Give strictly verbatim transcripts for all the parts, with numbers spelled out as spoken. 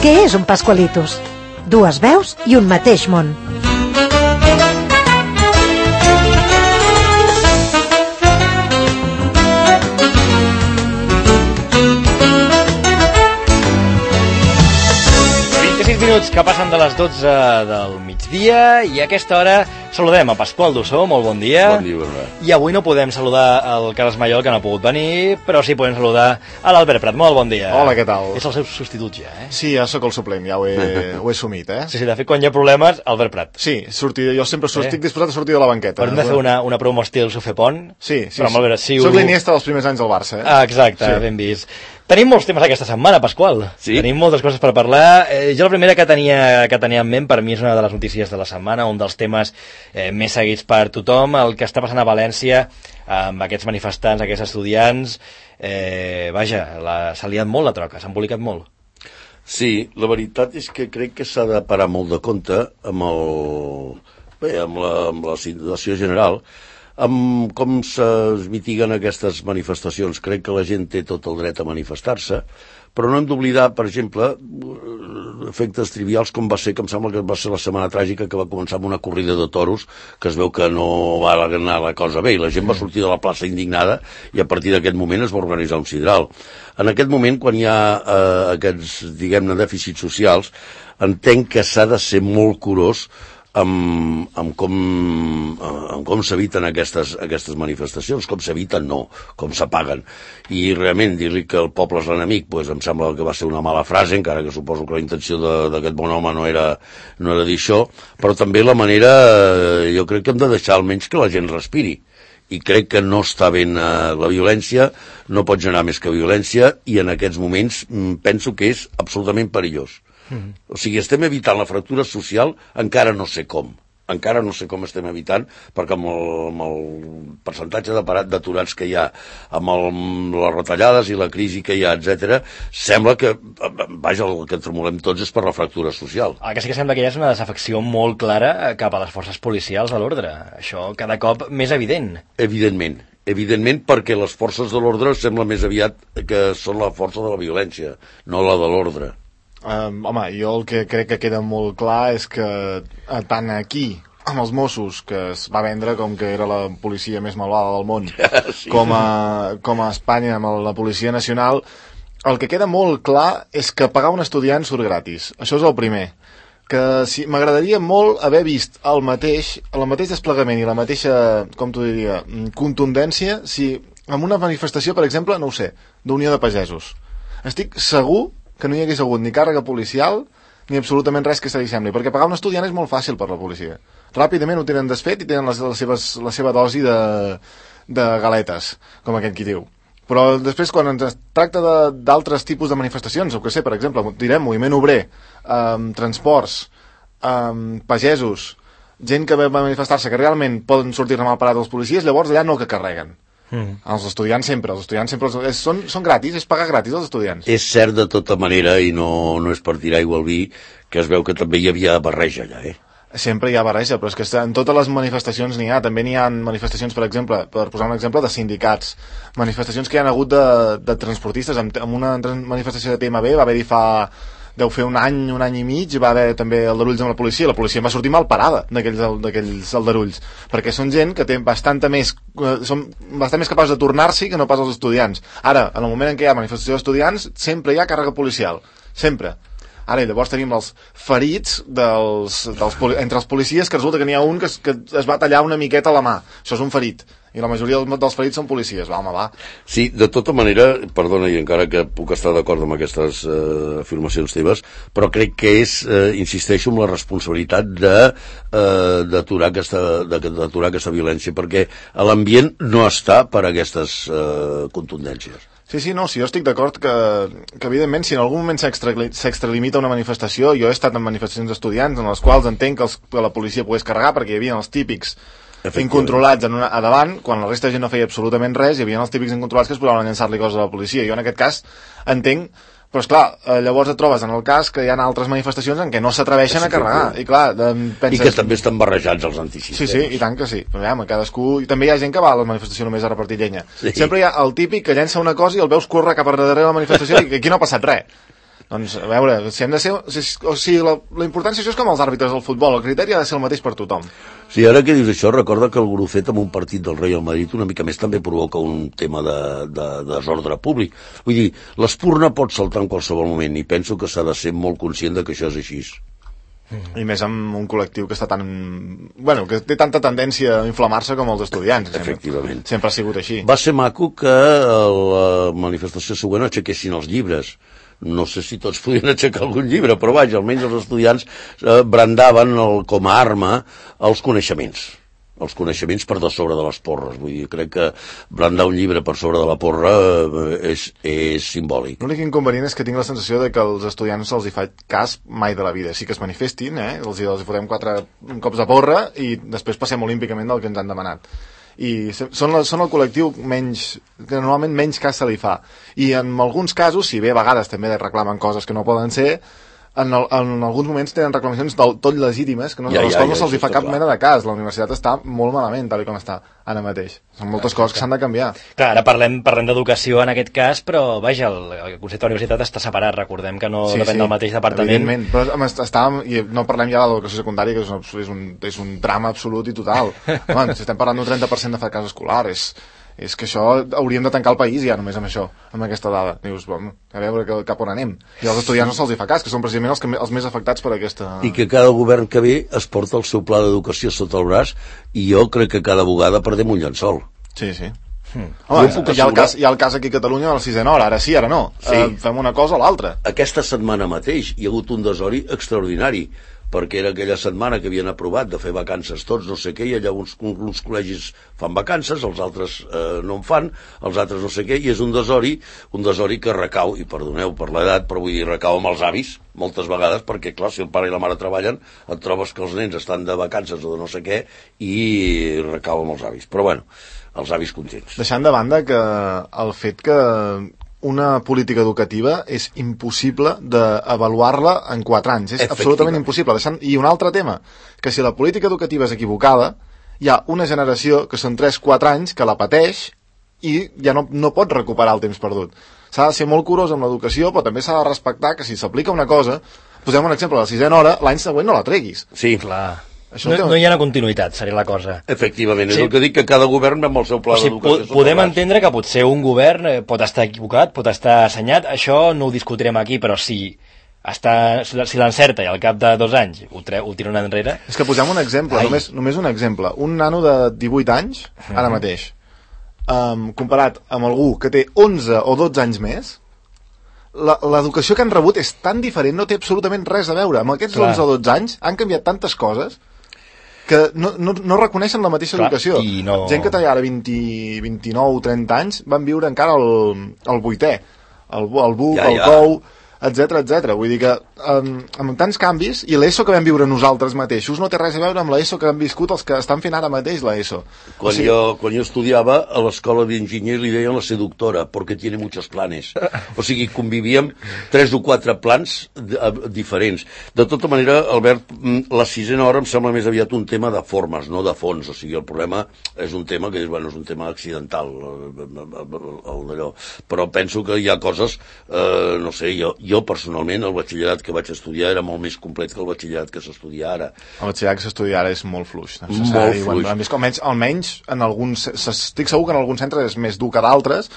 Què és un Pascualitos? Dues veus i un mateix món. vint-i-sis minuts que passen de les dotze del migdia i a aquesta hora saludem a Pasqual Dussó, molt bon dia. Bon dia, Bernat. I avui no podem saludar el Carles Mallol, que no ha pogut venir, però sí podem saludar a l'Albert Prat. Molt bon dia. Hola, què tal? És el seu substitut ja, eh? Sí, ja sóc el suplent, ja ho he, ho he assumit, eh? Sí, sí, de fet, quan hi ha problemes, Albert Prat. Sí, sortir, jo sempre eh? estic disposat a sortir de la banqueta. Però hem de fer una, una promo estil Sofepont. Sí, sí. Però, veure, si soc ho... l'Iniesta dels primers anys del Barça, eh? Ah, exacte, sí. Ben vist. Tenim molts temes aquesta setmana, Pasqual. Sí? Tenim moltes coses per parlar. Eh, jo la primera que tenia, que tenia en ment, per mi és una de les notícies de la setmana, un dels temes eh, més seguits per tothom, el que està passant a València amb aquests manifestants, aquests estudiants. Eh, vaja, s'ha liat molt la troca, s'ha embolicat molt. Sí, la veritat és que crec que s'ha de parar molt de compte amb, el... Bé, amb, la, amb la situació general, amb com es mitiguen aquestes manifestacions. Crec que la gent té tot el dret a manifestar-se, però no hem d'oblidar, per exemple, efectes trivials com va ser, que em sembla que va ser la setmana tràgica que va començar amb una corrida de toros, que es veu que no va anar la cosa bé, i la gent va sortir de la plaça indignada, i a partir d'aquest moment es va organitzar un sidral. En aquest moment, quan hi ha eh, aquests, diguem-ne, dèficits socials, entenc que s'ha de ser molt curós amb, amb com, amb com s'eviten aquestes, aquestes manifestacions, com s'eviten no, com s'apaguen. I realment dir-li que el poble és l'enemic, pues, em sembla que va ser una mala frase, encara que suposo que la intenció d'aquest bon home no era, no era dir això, però també la manera, jo crec que hem de deixar almenys que la gent respiri. I crec que no està ben eh, la violència, no pot generar més que violència, i en aquests moments penso que és absolutament perillós. Mm. O sigui, estem evitant la fractura social, encara no sé com. Encara no sé com estem evitant, perquè amb el, amb el percentatge d'aturats que hi ha, amb, el, amb les retallades i la crisi que hi ha, etcètera, sembla que, vaja, el que tremolem tots és per la fractura social. El que sí que sembla que hi ha és una desafecció molt clara cap a les forces policials de l'ordre. Això cada cop més evident. Evidentment. Evidentment, perquè les forces de l'ordre sembla més aviat que són la força de la violència, no la de l'ordre. Um, home, jo el que crec que queda molt clar és que eh, tant aquí amb els Mossos, que es va vendre com que era la policia més malvada del món, sí. com, a, com a Espanya amb la Policia Nacional, el que queda molt clar és que pagar un estudiant surt gratis. Això és el primer. Que si, m'agradaria molt haver vist el mateix, el mateix desplegament i la mateixa, com t'ho diria, contundència si en una manifestació, per exemple, no ho sé, d'Unió de Pagesos. Estic segur que no hi hagués hagut ni càrrega policial ni absolutament res que se li sembli, perquè pagar un estudiant és molt fàcil per la policia. Ràpidament ho tenen desfet i tenen les, les seves, la seva dosi de, de galetes, com aquest qui diu. Però després, quan ens tracta d'altres tipus de manifestacions, o que sé, per exemple, direm moviment obrer, um, transports, um, pagesos, gent que va manifestar-se que realment poden sortir-ne mal parat els policies, llavors allà no que carreguen. Mm. Els estudiants sempre, els estudiants sempre és, són, són gratis, és pagar gratis els estudiants. És cert de tota manera, i no, no és per tirar aigua al vi, que es veu que també hi havia barreja allà, eh? Sempre hi ha barreja, però és que en totes les manifestacions n'hi ha, també n'hi ha manifestacions, per exemple, per posar un exemple, de sindicats, manifestacions que hi ha hagut de, de transportistes, amb, amb una manifestació de T M B va haver-hi fa... deu fer un any, un any i mig, va haver també aldarulls amb la policia, la policia va sortir mal parada d'aquells aldarulls, perquè són gent que té bastanta més, són bastant més capaços de tornar-s'hi que no pas els estudiants. Ara, en el moment en què hi ha manifestació d'estudiants, sempre hi ha càrrega policial, sempre. Ara, llavors tenim els ferits dels, dels, entre els policies, que resulta que n'hi ha un que es, que es va tallar una miqueta la mà, això és un ferit. I la majoria dels ferits són policies, va, home, va. Sí, de tota manera, perdona, i encara que puc estar d'acord amb aquestes eh, afirmacions teves, però crec que és, eh, insisteixo, amb la responsabilitat de eh, d'aturar aquesta, d'aturar aquesta violència, perquè l'ambient no està per a aquestes eh, contundències. Sí, sí, no, sí, jo estic d'acord que, que evidentment si en algun moment s'extralimita una manifestació, jo he estat en manifestacions d'estudiants en les quals entenc que, els, que la policia pogués carregar perquè hi havia els típics incontrolats en una, a davant, quan la resta de gent no feia absolutament res, hi havia els típics incontrolats que es posaven a llançar-li coses a la policia. Jo en aquest cas entenc, però esclar, llavors et trobes en el cas que hi ha altres manifestacions en què no s'atreveixen a carregar, i clar, penses... I que també estan barrejats els antisistemes. Sí, sí, i tant que sí, però ja, cadascú... I també hi ha gent que va a la manifestació només a repartir llenya. Sí. Sempre hi ha el típic que llença una cosa i el veus córrer cap a darrere de la manifestació i aquí no ha passat res. Doncs, a veure, si hem de ser... Si, o sigui, la, la importància això és com els àrbitres del futbol, el criteri ha de ser el mateix per tothom. Sí, ara que dius això, recorda que el Grucet amb un partit del Real Madrid una mica més també provoca un tema de, de, de desordre públic. Vull dir, l'espurna pot saltar en qualsevol moment i penso que s'ha de ser molt conscient de que això és així. I més amb un col·lectiu que està tan... Bueno, que té tanta tendència a inflamar-se com els estudiants. Efectivament. Sempre, sempre ha sigut així. Va ser maco que a la manifestació següent aixequessin els llibres. No sé si tots podien aixecar algun llibre, però vaja, almenys els estudiants eh, brandaven el, com a arma els coneixements. Els coneixements per de sobre de les porres. Vull dir, crec que brandar un llibre per sobre de la porra eh, és, és simbòlic. L'únic inconvenient és que tinc la sensació de que als estudiants se'ls hi fa cas mai de la vida. Sí que es manifestin, eh? els, hi, els hi fotem quatre cops de porra i després passem olímpicament del que ens han demanat. I són, la, són el col·lectiu menys, que normalment menys cas se li fa. I en alguns casos, si bé a vegades també reclamen coses que no poden ser, En, el, en alguns moments tenen reclamacions del tot legítimes que no, ja, a les ja, quals ja, no se'ls fa cap clar. Mena de cas. La universitat està molt malament tal com està ara mateix. Són moltes clar, coses que s'han de canviar. Clar, ara parlem, parlem d'educació en aquest cas, però vaja, el, el concepte de la universitat està separat, recordem que no sí, depèn sí, del mateix departament. Evidentment, però estàvem, i no parlem ja de l'educació secundària, que és un, és un, és un drama absolut i total. Home, si estem parlant d'un trenta per cent de fracàs escolar, és... és que això hauríem de tancar el país ja només amb això, amb aquesta dada. Dius, bueno, a veure que, cap on anem. I als estudiants no se'ls hi fa cas, que són precisament els, que, els més afectats per aquesta... I que cada govern que ve es porta el seu pla d'educació sota el braç i jo crec que cada vegada perdem un llençol. Sí, sí. Hmm. Home, hi, ha el cas, hi ha el cas aquí a Catalunya a la sisena hora, ara sí, ara no. Sí. Eh, fem una cosa o l'altra. Aquesta setmana mateix hi ha hagut un desori extraordinari, perquè era aquella setmana que havien aprovat de fer vacances tots, no sé què, i allà uns, uns col·legis fan vacances, els altres eh, no en fan, els altres no sé què, i és un desori, un desori que recau, i perdoneu per l'edat, però vull dir, recau amb els avis, moltes vegades, perquè clar, si el pare i la mare treballen, et trobes que els nens estan de vacances o de no sé què, i recau amb els avis. Però bueno, els avis contents. Deixant de banda que el fet que una política educativa és impossible d'avaluar-la en quatre anys. És absolutament impossible. Deixant... I un altre tema, que si la política educativa és equivocada, hi ha una generació que són tres quatre anys que la pateix i ja no, no pot recuperar el temps perdut. S'ha de ser molt curós amb l'educació, però també s'ha de respectar que si s'aplica una cosa, posem un exemple, a la sisena hora, l'any següent no la treguis. Sí, clar. Això no, no hi ha una continuïtat, seria la cosa. Efectivament, és sí. el que dic, que cada govern amb el seu pla o sigui, d'educació. Podem entendre que potser un govern pot estar equivocat, pot estar assenyat, això no ho discutirem aquí, però si, està, si l'encerta i al cap de dos anys ho, tre, ho tira enrere... És que posem un exemple, només, només un exemple. Un nano de divuit anys, ara mm. mateix, um, comparat amb algú que té onze o dotze anys més, l'educació que han rebut és tan diferent, no té absolutament res a veure. Amb aquests Clar. onze o dotze anys han canviat tantes coses que no, no, no reconeixen la mateixa Clar, educació. No... Gent que té ara vint, vint-i-nou, trenta anys van viure encara el, el vuitè, el, el buc, ja, el ja. cou, etcètera, etcètera. Vull dir que um, amb tants canvis, i l'ESO que vam viure nosaltres mateixos no té res a veure amb l'ESO que han viscut els que estan fent ara mateix l'ESO. Quan, o sigui... jo, quan jo estudiava a l'escola d'enginyers li deien la seductora, perquè tiene muchos planes. O sigui, convivíem tres o quatre plans diferents. De tota manera, Albert, la sisena hora em sembla més aviat un tema de formes, no de fons. O sigui, el problema és un tema que és, bueno, és un tema accidental, el, el d'allò. Però penso que hi ha coses, eh, no sé, jo, jo personalment el batxillerat que vaig estudiar era molt més complet que el batxillerat que s'estudia ara. El batxillerat que s'estudia ara és molt fluix. Molt fluix. Bueno, més, almenys, almenys en alguns, estic segur que en alguns centres és més dur que d'altres,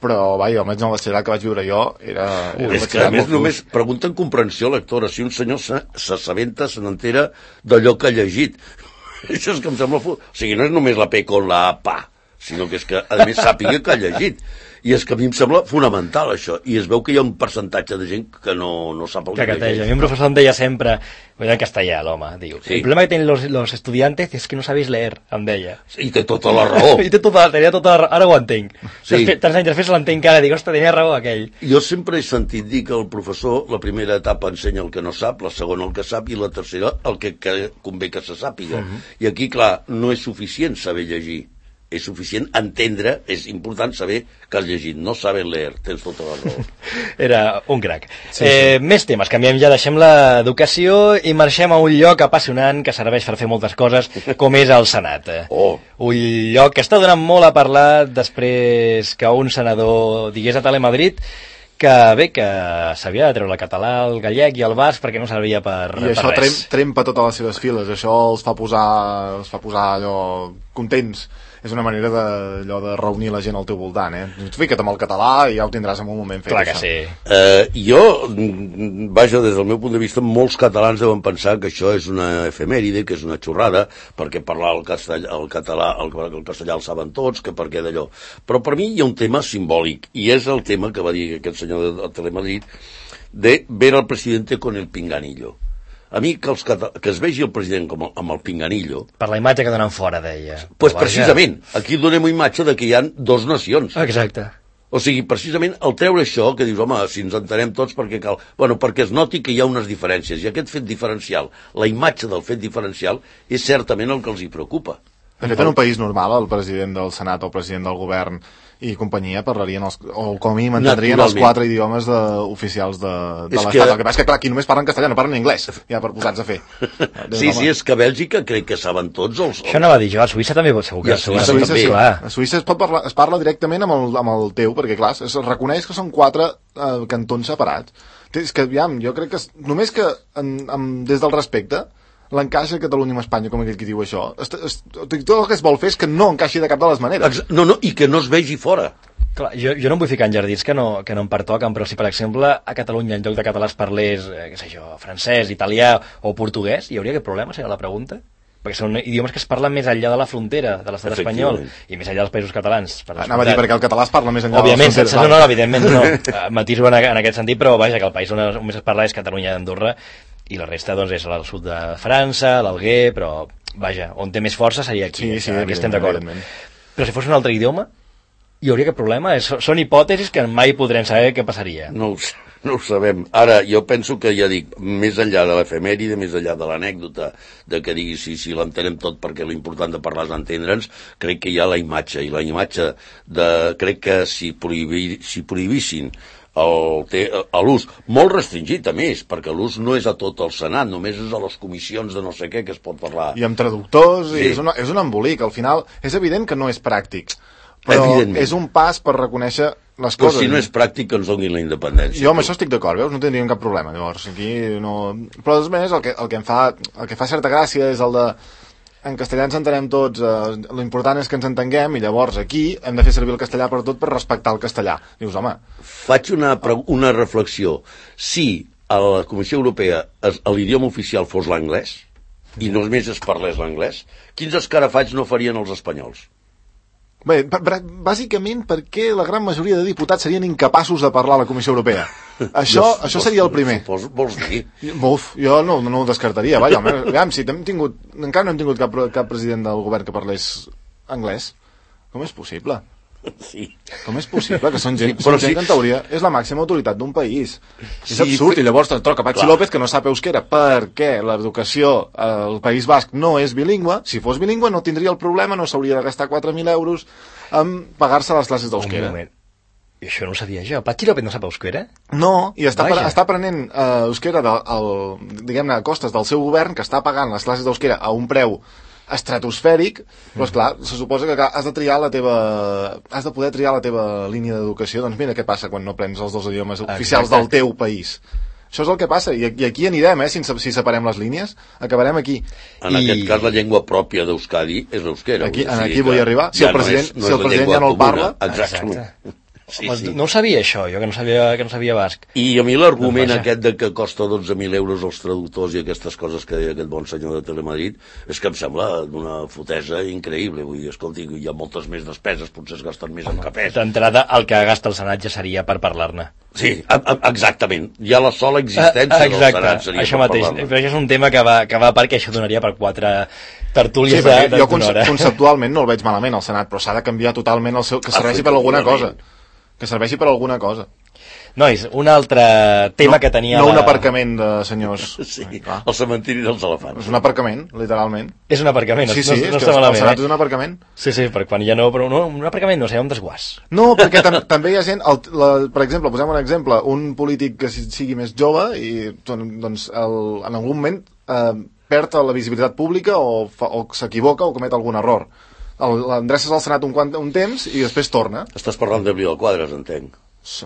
però vaja, almenys en el batxillerat que vaig viure jo era, era és que a més només pregunten comprensió lectora, si un senyor s'assabenta, se n'entera d'allò que ha llegit. Això és que em sembla... O sigui, no és només la P con la A, pa, sinó que és que a més sàpiga que ha llegit. I és que a mi em sembla fonamental això, i es veu que hi ha un percentatge de gent que no, no sap el que, que llegeix. A mi un professor em deia sempre, en castellà l'home, diu, sí. el problema que tienen los, los estudiantes es que no sabéis leer, em deia. I té tota la raó. I té tota, tenia tota la raó, ara ho entenc. Sí. Tants anys després l'entenc que ara, dic, ostres, tenia raó aquell. Jo sempre he sentit dir que el professor, la primera etapa ensenya el que no sap, la segona el que sap, i la tercera el que, que convé que se sàpiga. Uh-huh. I aquí, clar, no és suficient saber llegir. És suficient entendre, és important saber que has llegit, no saber leer, tens tota la raó. Era un crac. Sí, eh, sí. Més temes, canviem ja, deixem l'educació i marxem a un lloc apassionant que serveix per fer moltes coses, com és el Senat. Oh. Un lloc que està donant molt a parlar després que un senador digués a Telemadrid que bé, que s'havia de treure el català, el gallec i el basc perquè no servia per, I per això res. trem, trempa totes les seves files, això els fa posar, els fa posar allò contents. És una manera de, allò de reunir la gent al teu voltant, eh? Fica't amb el català i ja ho tindràs en un moment fet. Clar que això. sí. Eh, jo, vaja, des del meu punt de vista, molts catalans deuen pensar que això és una efemèride, que és una xorrada, perquè parlar el, castellà, el català, el, el castellà el saben tots, que per què d'allò. Però per mi hi ha un tema simbòlic, i és el tema que va dir aquest senyor de Telemadrid, de ver al presidente con el pinganillo. A mi que, els cata... que es vegi el president com el, amb el pinganillo... Per la imatge que donen fora, deia. Pues precisament, aquí donem una imatge de que hi ha dos nacions. Exacte. O sigui, precisament, el treure això, que dius, home, si ens entenem tots perquè cal... Bueno, perquè es noti que hi ha unes diferències, i aquest fet diferencial, la imatge del fet diferencial, és certament el que els hi preocupa. De fet, en un país normal, el president del Senat o el president del govern i companyia parlarien, els, o com a mínim entendrien els quatre idiomes de, oficials de, de l'Estat. Que... El que passa és que, clar, aquí només parlen castellà, no parlen anglès, ja per posats a fer. Sí, sí, és que a Bèlgica crec que saben tots els... Això anava a dir jo, a Suïssa també segur que... I a Suïssa, Suïssa també. Clar. A Suïssa es, pot parlar, es parla directament amb el, amb el teu, perquè, clar, es reconeix que són quatre eh, cantons separats. És que, aviam, jo crec que... Només que, en, en, des del respecte, l'encaixa Catalunya amb Espanya, com aquell que diu això, es, es, tot el que es vol fer és que no encaixi de cap de les maneres. No, no, i que no es vegi fora. Clar, jo, jo no em vull ficar en jardins que no, que no em pertoquen, però si, per exemple, a Catalunya en lloc de català es parlés, eh, què sé jo, francès, italià o portuguès, hi hauria aquest problema, seria la pregunta? Perquè són idiomes que es parlen més enllà de la frontera de l'estat espanyol i més enllà dels països catalans. Anava a dir, perquè el català es parla més enllà Òbviament, de les fronteres. No, no, evidentment no. Matiso en, en aquest sentit, però vaja, que el país on més es parla és Catalunya i Andorra, i la resta doncs, és al sud de França, l'Alguer, però vaja, on té més força seria aquí, sí, sí, aquí estem d'acord. Però si fos un altre idioma, hi hauria aquest problema? És, són hipòtesis que mai podrem saber què passaria. No ho, no ho sabem. Ara, jo penso que, ja dic, més enllà de l'efemèride, més enllà de l'anècdota, de que digui si, si l'entenem tot perquè l'important de parlar és entendre'ns, crec que hi ha la imatge, i la imatge de... Crec que si, prohibir, si prohibissin l'ús, molt restringit a més, perquè l'ús no és a tot el Senat, només és a les comissions de no sé què que es pot parlar. I amb traductors, sí. i és, una, és un embolic, al final és evident que no és pràctic, però és un pas per reconèixer les però coses. si no és pràctic que ens donin la independència. Jo amb això estic d'acord, veus? No tindríem cap problema, llavors aquí no... Però a més el que, el que em fa el que fa certa gràcia és el de en castellà ens entenem tots, eh, l'important és que ens entenguem, i llavors aquí hem de fer servir el castellà per tot per respectar el castellà. Dius, home... Faig una, una reflexió. Si a la Comissió Europea l'idioma oficial fos l'anglès, i només es parlés l'anglès, quins escarafalls no farien els espanyols? Bé, bàsicament perquè la gran majoria de diputats serien incapaços de parlar a la Comissió Europea. Això, jo, això seria el primer. Vols, vols dir? Uf, jo no, no ho descartaria. Vaja, aviam, si hem tingut, encara no hem tingut cap, cap president del govern que parlés anglès. Com és possible? Sí. Com és possible? Que són gent, Sí, són però gent sí. que en teoria és la màxima autoritat d'un país. És Sí, absurd, fe- i llavors te'n troca Patxi Clar. López que no sap euskera perquè l'educació al País Basc no és bilingüe. Si fos bilingüe no tindria el problema, no s'hauria de gastar quatre mil euros en pagar-se les classes Un d'euskera. moment. I això no ho sabia jo. Patxi López no sap euskera? No, i està, Vaja. està aprenent eh, euskera de, el, diguem-ne, a costes del seu govern, que està pagant les classes d'euskera a un preu estratosfèric, però esclar, se suposa que has de triar la teva has de poder triar la teva línia d'educació. Doncs mira què passa quan no aprens els dos idiomes oficials Exacte. del teu país. Això és el que passa, i, i aquí anirem, eh, si, si separem les línies, acabarem aquí. En I- aquest cas la llengua pròpia d'Euskadi és l'euskera. Aquí- vull dir, aquí que vull arribar. Si ja el president- no és, no si el és la president llengua ja no el comuna. parla. Exactament. Exacte. Sí, Home, sí. No ho sabia això, jo, que no sabia, que no sabia basc. I a mi l'argument Doncs vaja. aquest de que costa dotze mil euros els traductors i aquestes coses que deia aquest bon senyor de Telemadrid és que em sembla d'una fotesa increïble. Vull dir, escolti, hi ha moltes més despeses, potser es gasten més en cafès. D'entrada, el que gasta el Senat ja seria per parlar-ne. Sí, a, a, exactament. Ja la sola existència Ah, del exacte, Senat seria això per mateix. parlar-ne. Però això és un tema que va, que va a part, que això donaria per quatre tertúlies Sí, de, perquè de jo d'una conce hora. conceptualment no el veig malament al Senat, però s'ha de canviar totalment el seu... que serveixi per alguna cosa. Que serveixi per alguna cosa. Nois, un altre tema no, que tenia... No la... un aparcament de senyors. Sí, Ah, el cementiri dels elefants. és un aparcament, literalment. És un aparcament, Sí, no, sí, no, és no que està el malament, Senat eh? és un aparcament. Sí, sí, per quan ja no... Però no, un aparcament no, serà un desguàs. No, perquè tam també hi ha gent, el, la, per exemple, posem un exemple, un polític que si- sigui més jove i doncs el, en algun moment eh, perd la visibilitat pública o, fa- o s'equivoca o comet algun error. El- L'endreces al Senat un, quant, un temps i després torna. Estàs parlant de Vidal Quadras, entenc.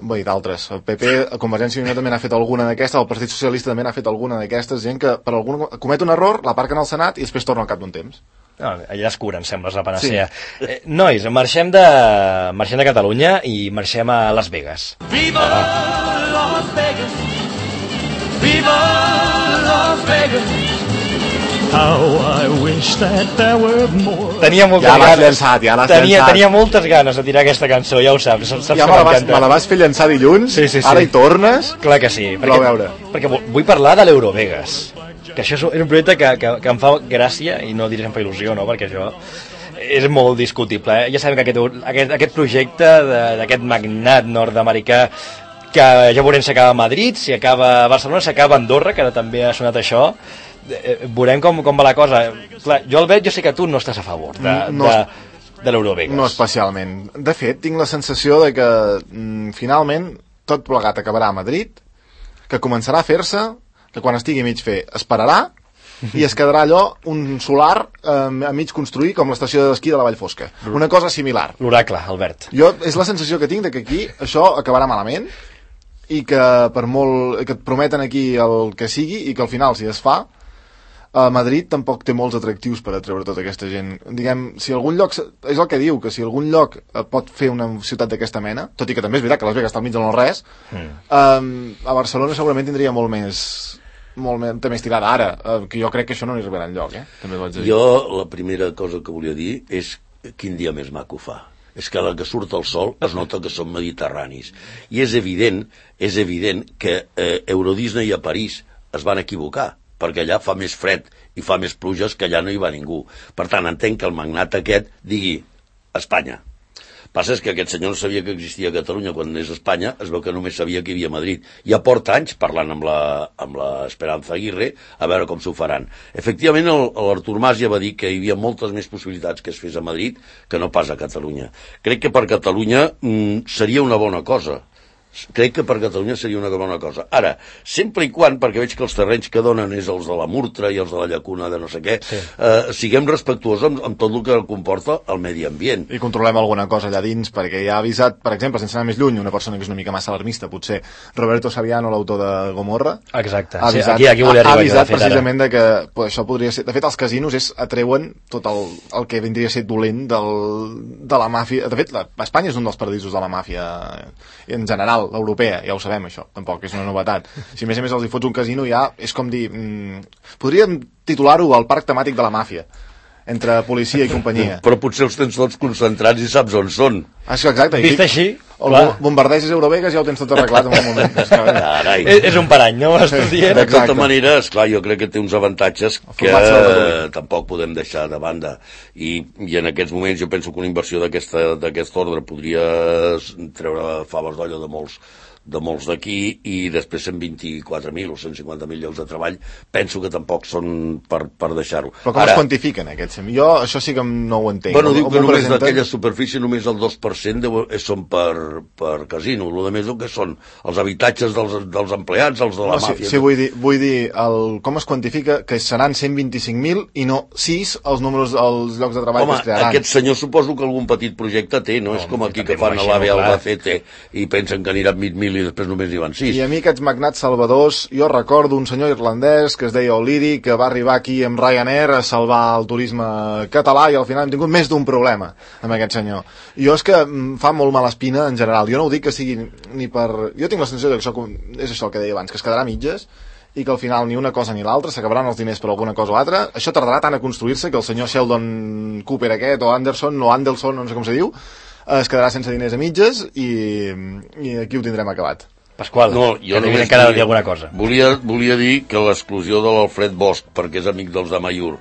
Bé, d'altres. El P P, a Convergència i Unió també n'ha fet alguna d'aquestes, el Partit Socialista també n'ha fet alguna d'aquestes, gent que per algun comet un error, l'aparquen al Senat i després torna al cap d'un temps. No, allà es curen, sembla, és la panacea. Sí. Eh, nois, marxem de, marxem de Catalunya i marxem a Las Vegas. Viva ah. Las Vegas! Viva Las Vegas! How I wish that there were more. Tenia moltes ja ganes. Llançat, ja l'has tenia, llançat. Tenia moltes ganes de tirar aquesta cançó, ja ho saps. saps ja me la, vas, me la vas fer llançar dilluns, sí, sí, sí. Ara hi tornes. Clar que sí. Perquè, veure. perquè vull parlar de l'Eurovegas, que això és un projecte que, que, que em fa gràcia, i no diré que em fa il·lusió, no? Perquè això és molt discutible. Eh? Ja sabem que aquest, aquest, aquest projecte d'aquest magnat nord-americà, que ja veurem si acaba a Madrid, si acaba a Barcelona, si acaba a Andorra, que ara també ha sonat això. Veurem com, com va la cosa. Clar, jo el veig, jo sé que tu no estàs a favor de, no, de, de l'Eurovegas. No especialment. De fet, tinc la sensació de que mm, finalment tot plegat acabarà a Madrid, que començarà a fer-se, que quan estigui mig fer esperarà i es quedarà allò un solar eh, a mig construir com l'estació d'esquí de la Vall Fosca. Una cosa similar. L'oracle, Albert. Jo, és la sensació que tinc de que aquí això acabarà malament i que per molt que et prometen aquí el que sigui i que al final si es fa a Madrid tampoc té molts atractius per atreure tota aquesta gent. Diguem, si algun lloc, és el que diu, que si algun lloc pot fer una ciutat d'aquesta mena, tot i que també és veritat que Las Vegas està al mig de no res, mm. um, a Barcelona segurament tindria molt més, molt més, té més tirada ara, uh, que jo crec que això no n'hi arribarà enlloc, eh? També ho haig de dir. Jo la primera cosa que volia dir és quin dia més maco fa. És que a la que surt el sol es nota que són mediterranis. I és evident, és evident que eh, Euro Disney a París es van equivocar, perquè allà fa més fred i fa més pluges que allà no hi va ningú. Per tant, entenc que el magnat aquest digui Espanya. Passa és que aquest senyor no sabia que existia a Catalunya quan és a Espanya, es veu que només sabia que hi havia a Madrid. Ja porta anys parlant amb la, amb la Esperanza Aguirre a veure com s'ho faran. Efectivament, l'Artur Mas ja va dir que hi havia moltes més possibilitats que es fes a Madrid que no pas a Catalunya. Crec que per Catalunya mm, seria una bona cosa. Crec que per Catalunya seria una bona cosa. Ara, sempre i quan, perquè veig que els terrenys que donen és els de la Murtra i els de la Llacuna de no sé què, sí. eh, siguem respectuosos amb, amb tot el que comporta el medi ambient. I controlem alguna cosa allà dins, perquè ja ha avisat, per exemple, sense anar més lluny, una persona que és una mica massa alarmista, potser Roberto Saviano, l'autor de Gomorra. Exacte, ha avisat, sí, aquí, aquí volia arribar. Ha avisat precisament de que pues, això podria ser... De fet, els casinos és, atreuen tot el, el que vindria a ser dolent del, de la màfia. De fet, la, Espanya és un dels paradisos de la màfia en general, l'europea, ja ho sabem això, tampoc és una novetat. Si a més a més els hi fots un casino ja és com dir... Mm, podríem titular-ho el parc temàtic de la màfia, entre policia i companyia. Però potser els tens tots concentrats i saps on són. Ah, exacte. Vist així, o bombardeges Eurovegas ja ho tens tot arreglat en un moment. Carai. És, és un parany, no? De tota manera, esclar, jo crec que té uns avantatges que eh, tampoc podem deixar de banda. I, i en aquests moments jo penso que una inversió d'aquest ordre podria treure faves d'olla de molts de molts d'aquí i després cent vint-i-quatre mil o cent cinquanta mil llocs de treball penso que tampoc són per, per deixar-ho. Però com Ara, es quantifiquen aquests? Jo això sí que no ho entenc. Bueno, diu que només presenten... d'aquella superfície només el dos per cent deu, són per, per casino. El que més el que són els habitatges dels, dels empleats, els de la no, màfia. Sí, sí vull dir, vull dir el, com es quantifica que seran cent vint-i-cinc mil i no sis els números, els llocs de treball Home, que es crearan. Aquest senyor suposo que algun petit projecte té, no? no és com aquí que fan a l'A V Albacete i pensen que aniran mig mil i després només hi van sis. I a mi aquests magnats salvadors, jo recordo un senyor irlandès que es deia O'Leary, que va arribar aquí amb Ryanair a salvar el turisme català i al final hem tingut més d'un problema amb aquest senyor. Jo és que em fa molt mala espina en general. Jo no ho dic que sigui ni per... Jo tinc la sensació que això és això el que deia abans, que es quedarà a mitges i que al final ni una cosa ni l'altra, s'acabaran els diners per alguna cosa o altra. Això tardarà tant a construir-se que el senyor Sheldon Cooper aquest, o Anderson, o Anderson, no sé com se diu, es quedarà sense diners a mitges i, i aquí ho tindrem acabat. Pasqual, no, jo que encara volia dir alguna cosa. Volia, volia dir que l'exclusió de l'Alfred Bosch, perquè és amic dels de Mayur,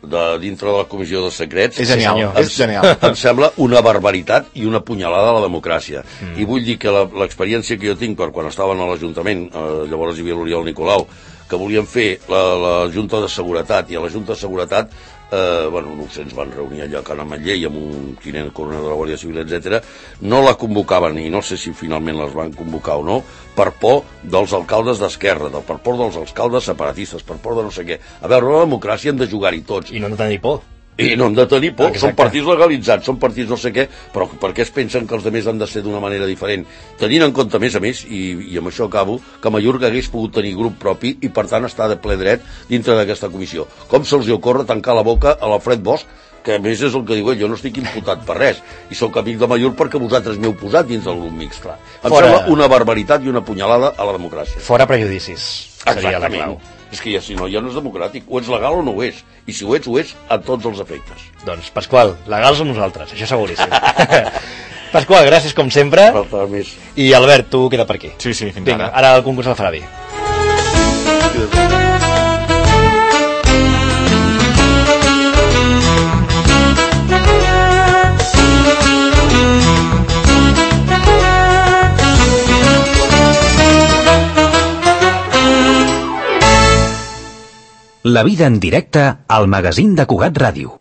de dintre de la comissió de secrets, és genial, em, és genial. Em sembla una barbaritat i una punyalada a la democràcia. Mm. I vull dir que l'experiència que jo tinc per quan estaven a l'Ajuntament, eh, llavors hi havia l'Oriol Nicolau, que volien fer la, la Junta de Seguretat, i a la Junta de Seguretat eh, bueno, no sé, ens van reunir allà a Can Ametller i amb un tinent coronel de la Guàrdia Civil, etcètera. No la convocaven, i no sé si finalment les van convocar o no, per por dels alcaldes d'esquerra, per por dels alcaldes separatistes, per por de no sé què. A veure, la democràcia hem de jugar-hi tots. I no han de tenir por. I no han de tenir por, Exacte. són partits legalitzats, són partits no sé què, però per què es pensen que els altres han de ser d'una manera diferent? Tenint en compte, a més a més, i, i amb això acabo, que Mallorca hagués pogut tenir grup propi i per tant està de ple dret dintre d'aquesta comissió. Com se'ls ocorre tancar la boca a l'Alfred Bosch, que a més és el que diu ell, jo no estic imputat per res, i sóc amic de Mallorca perquè vosaltres m'heu posat dins del grup mixt. Clar. Em Fora... sembla una barbaritat i una punyalada a la democràcia. Fora prejudicis, seria la clau. És que ja, si no, ja no és democràtic. O ets legal o no ho és. I si ho ets, ho és a tots els efectes. Doncs, Pasqual, legals som nosaltres, això seguríssim. Pasqual, gràcies com sempre. Falta més. I Albert, tu queda per aquí. Sí, sí, fins Vinga, ara. ara el concurs el farà bé. La vida en directe al magazín de Cugat Ràdio.